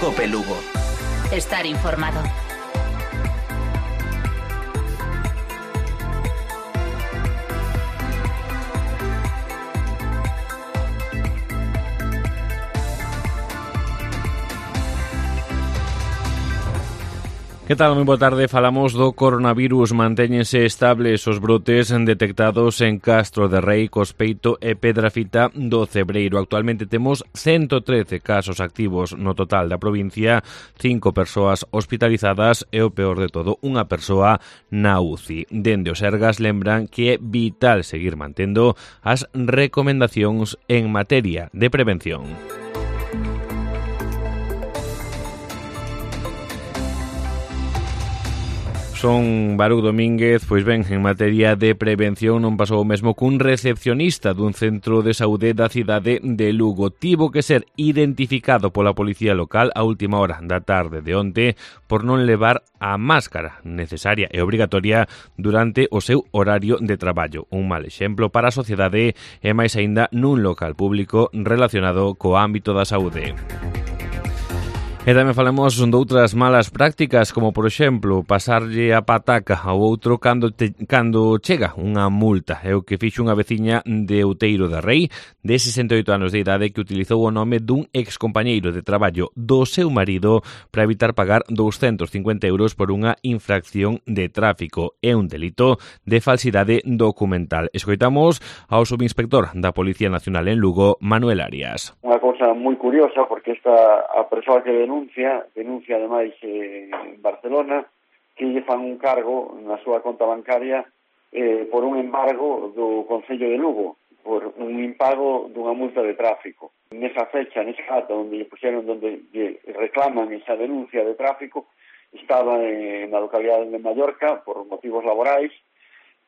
Cope Lugo. Estar informado. Que tal? Moi boa tarde. Falamos do coronavirus. Mantéñense estables os brotes detectados en Castro de Rei, Cospeito e Pedrafita do Cebreiro. Actualmente temos 113 casos activos no total da provincia, 5 persoas hospitalizadas e o peor de todo, unha persoa na UCI. Dende o Sergas lembran que é vital seguir mantendo as recomendacións en materia de prevención. Son Baruch Domínguez. Pois ben, en materia de prevención non pasou o mesmo cun recepcionista dun centro de saúde da cidade de Lugo. Tivo que ser identificado pola policía local a última hora da tarde de onte por non levar a máscara necesaria e obrigatoria durante o seu horario de traballo. Un mal exemplo para a sociedade e máis aínda nun local público relacionado co ámbito da saúde. E tamén falamos doutras malas prácticas, como por exemplo pasarlle a pataca ao outro cando chega unha multa. É o que fixo unha veciña de Outeiro de Rei de 68 anos de idade que utilizou o nome dun excompañeiro de traballo do seu marido para evitar pagar 250 euros por unha infracción de tráfico. É un delito de falsidade documental. Escoitamos ao subinspector da Policía Nacional en Lugo, Manuel Arias. Unha cousa moi curiosa, porque a persoa que denuncia ademais en Barcelona, que lle fan un cargo na súa conta bancaria por un embargo do Concello de Lugo, por un impago dunha multa de tráfico. Nesa fecha, nesa data onde lle reclaman esa denuncia de tráfico, estaba na localidade de Mallorca por motivos laborais,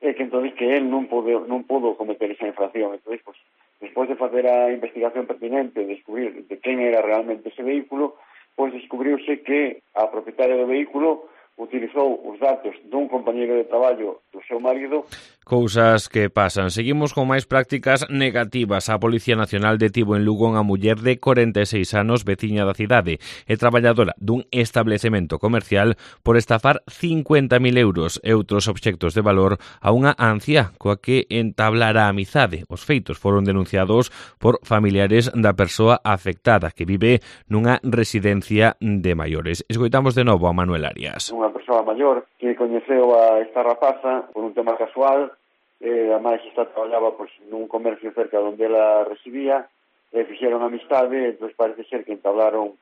e que entón que él non pudo cometer esa infracción. Entón, pues, despois de facer a investigación pertinente, descubrir de quen era realmente ese vehículo, pois descubriuse que a propietaria do vehículo utilizou os datos dun compañeiro de traballo do seu marido. Cousas que pasan. Seguimos con máis prácticas negativas. A Policía Nacional detivo en Lugo unha muller de 46 anos, veciña da cidade e traballadora dun establecemento comercial por estafar 50.000 euros e outros obxectos de valor a unha anciá coa que entablara a amizade. Os feitos foron denunciados por familiares da persoa afectada que vive nunha residencia de maiores. Escoitamos de novo a Manuel Arias. Unha persoa maior que coñeceu a esta rapaza por un tema casual, ademais esta traballaba nun comercio cerca onde ela residía, fixeron amistade, entón parece ser que entablaron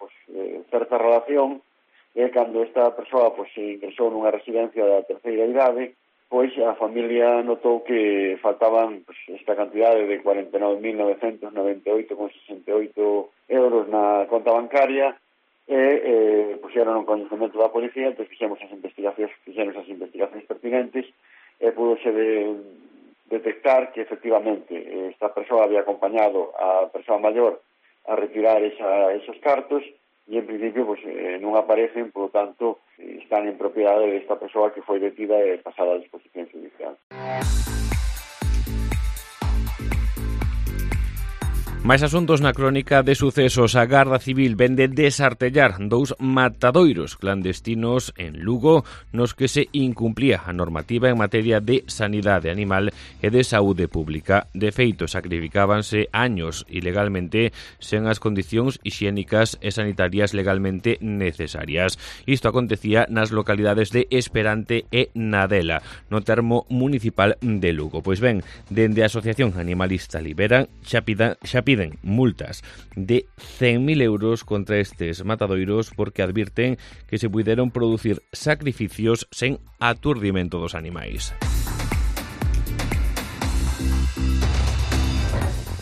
certa relación, e cando esta persoa ingresou nunha residencia da terceira idade, pois a familia notou que faltaban esta cantidade de 49.998,68 euros na conta bancaria, e puxeron un coñecemento da policía. Entón fixeron as investigacións pertinentes e pudose detectar que efectivamente esta persoa había acompañado a persoa maior a retirar esos cartos e en principio non aparecen, por lo tanto están en propiedade desta persoa que foi detida e pasada a disposición judicial. Mais asuntos na crónica de sucesos. A Garda Civil vende desartellar 2 matadoiros clandestinos en Lugo nos que se incumplía a normativa en materia de sanidade animal e de saúde pública. De feito, sacrificábanse años ilegalmente sen as condicións hixiénicas e sanitarias legalmente necesarias. Isto acontecía nas localidades de Esperante e Nadela, no termo municipal de Lugo. Pois ben, dende a Asociación Animalista Liberan xa piden multas de 100.000 euros contra estes matadoiros porque advirten que se puideron producir sacrificios sen aturdimento dos animais.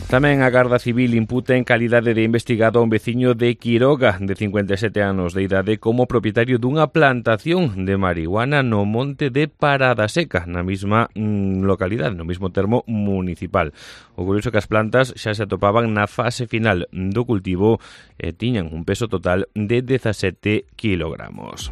Tamén a Garda Civil imputa en calidade de investigado a un veciño de Quiroga, de 57 anos de idade, como propietario dunha plantación de marihuana no monte de Parada Seca, na mesma localidade, no mesmo termo municipal. O curioso que as plantas xa se atopaban na fase final do cultivo e tiñan un peso total de 17 kilogramos.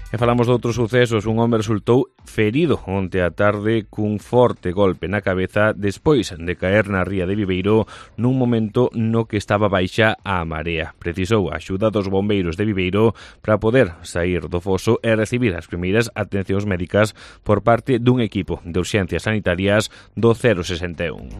E falamos de outros sucesos. Un home resultou ferido onte á tarde cun forte golpe na cabeza despois de caer na ría de Viveiro nun momento no que estaba baixa a marea. Precisou a axuda dos bombeiros de Viveiro para poder sair do foso e recibir as primeiras atencións médicas por parte dun equipo de urxencias sanitarias do 061.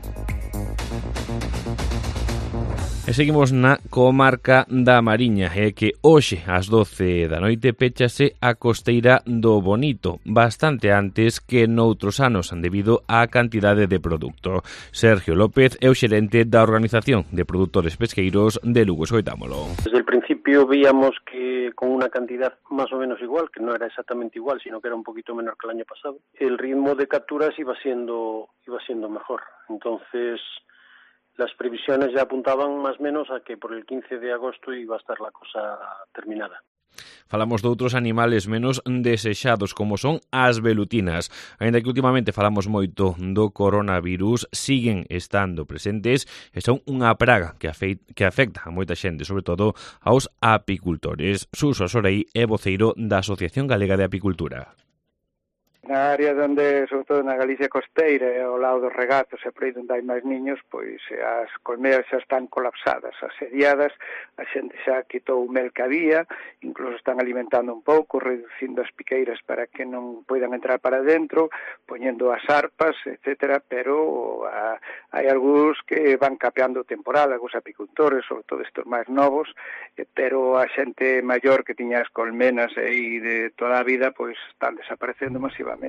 E seguimos na comarca da Mariña, e que hoxe ás 12 da noite péchase a costeira do Bonito, bastante antes que noutros anos debido á cantidade de produto. Sergio López é o xerente da Organización de Produtores Pesqueiros de Lugo. Escoitámolo. Desde el principio veíamos que con una cantidad más o menos igual, que no era exactamente igual, sino que era un poquito menor que el año pasado, el ritmo de capturas iba siendo mejor. Entonces, las previsiones ya apuntaban más o menos a que por el 15 de agosto iba a estar la cosa terminada. Falamos de outros animales menos desexados, como son as velutinas. Aínda que últimamente falamos moito do coronavirus, siguen estando presentes e son unha praga que afecta a moita xente, sobre todo aos apicultores. Suso Asorei é voceiro da Asociación Galega de Apicultura. Na área onde, sobre todo na Galicia costeira e ao lado dos regatos e por aí onde hai máis niños, pois as colmeas xa están colapsadas, asediadas, a xente xa quitou o mel que había, incluso están alimentando un pouco, reducindo as piqueiras para que non poidan entrar para dentro, poñendo as arpas, etcétera, pero hai algúns que van capeando o temporal, algúns apicultores, sobre todo estes máis novos, pero a xente maior que tiña as colmenas aí de toda a vida, pois están desaparecendo masivamente.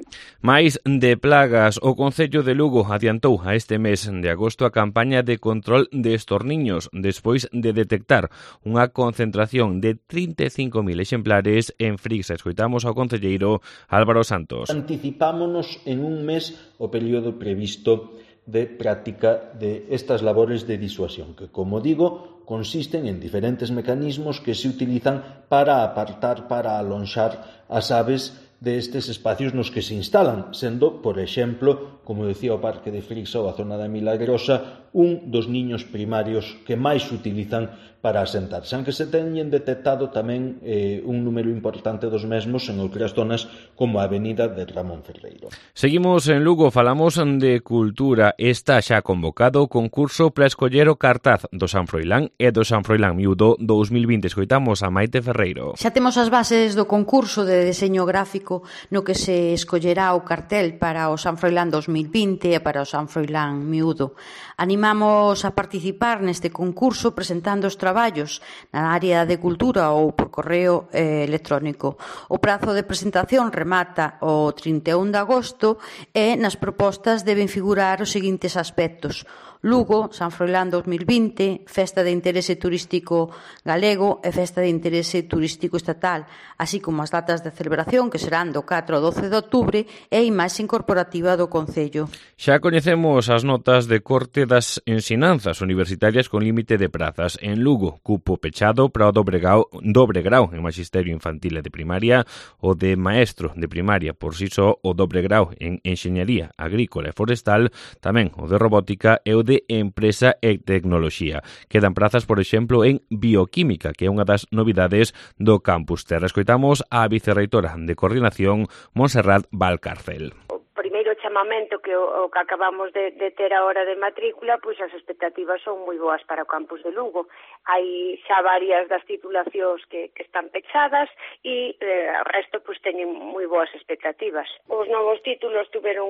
Mais de plagas, o Concello de Lugo adiantou a este mes de agosto a campaña de control de estorniños despois de detectar unha concentración de 35.000 exemplares en Frixa. Escoitamos ao concelleiro Álvaro Santos. Anticipámonos en un mes o período previsto de práctica de estas labores de disuasión, que, como digo, consisten en diferentes mecanismos que se utilizan para apartar, para alonxar as aves destes espacios nos que se instalan, sendo, por exemplo, como decía o Parque de Frixa ou a zona da Milagrosa, un dos niños primarios que máis se utilizan para asentarse, aunque se teñen detectado tamén un número importante dos mesmos en outras zonas como a avenida de Ramón Ferreiro. Seguimos en Lugo, falamos de cultura. Está xa convocado o concurso para escoller o cartaz do San Froilán e do San Froilán Miúdo 2020. Escoitamos a Maite Ferreiro. Xa temos as bases do concurso de deseño gráfico no que se escollerá o cartel para o San Froilán 2020 e para o San Froilán Miúdo. Animamos a participar neste concurso presentando os traballos na área de cultura ou por correo electrónico. O prazo de presentación remata o 31 de agosto e nas propostas deben figurar os seguintes aspectos: Lugo, San Froilán 2020, Festa de Interese Turístico Galego e Festa de Interese Turístico Estatal, así como as datas de celebración que serán do 4 ao 12 de outubro e a imaxe incorporativa do Concello. Xa coñecemos as notas de corte das ensinanzas universitarias con límite de prazas. En Lugo, cupo pechado para o dobre grau en Maxisterio Infantil e de Primaria, o de Maestro de Primaria por si só, o dobre grau en Enxeñería Agrícola e Forestal, tamén o de Robótica e o de Empresa e Tecnoloxía. Quedan prazas, por exemplo, en Bioquímica, que é unha das novidades do Campus Terra. Escoitamos a vicerreitora de Coordinación, Montserrat Valcárcel. Primeiro chamamento que o que acabamos de ter a hora de matrícula, pois as expectativas son moi boas para o campus de Lugo. Hai xa varias das titulacións que están pechadas e o resto pois teñen moi boas expectativas. Os novos títulos tuveron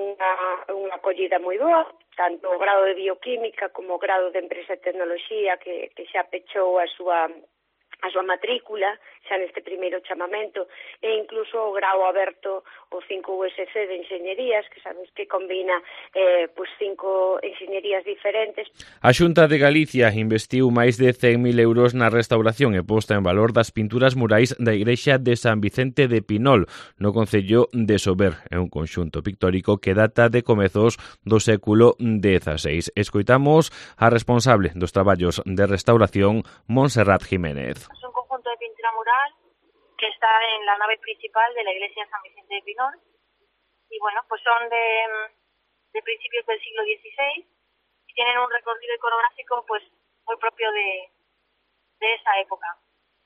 unha acollida moi boa, tanto o grado de Bioquímica como o grado de Empresa e Tecnoloxía que xa pechou a súa matrícula xa neste primeiro chamamento, e incluso o grau aberto, o 5 USC de Enxeñerías, que sabes que combina 5 enxeñerías diferentes. A Xunta de Galicia investiu máis de 100.000 euros na restauración e posta en valor das pinturas murais da igrexa de San Vicente de Pinol, no concello de Sober. É un conxunto pictórico que data de comezos do século XVI. Escoitamos a responsable dos traballos de restauración, Montserrat Jiménez. Es un conjunto de pintura mural que está en la nave principal de la iglesia de San Vicente de Pinol y bueno, pues son de principios del siglo XVI y tienen un recorrido iconográfico pues muy propio de esa época,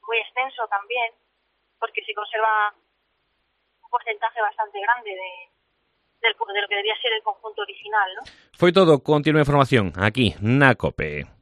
muy extenso también porque se conserva porcentaje bastante grande de lo que debía ser el conjunto original, ¿no? Foi todo, continúa a información aquí na COPE.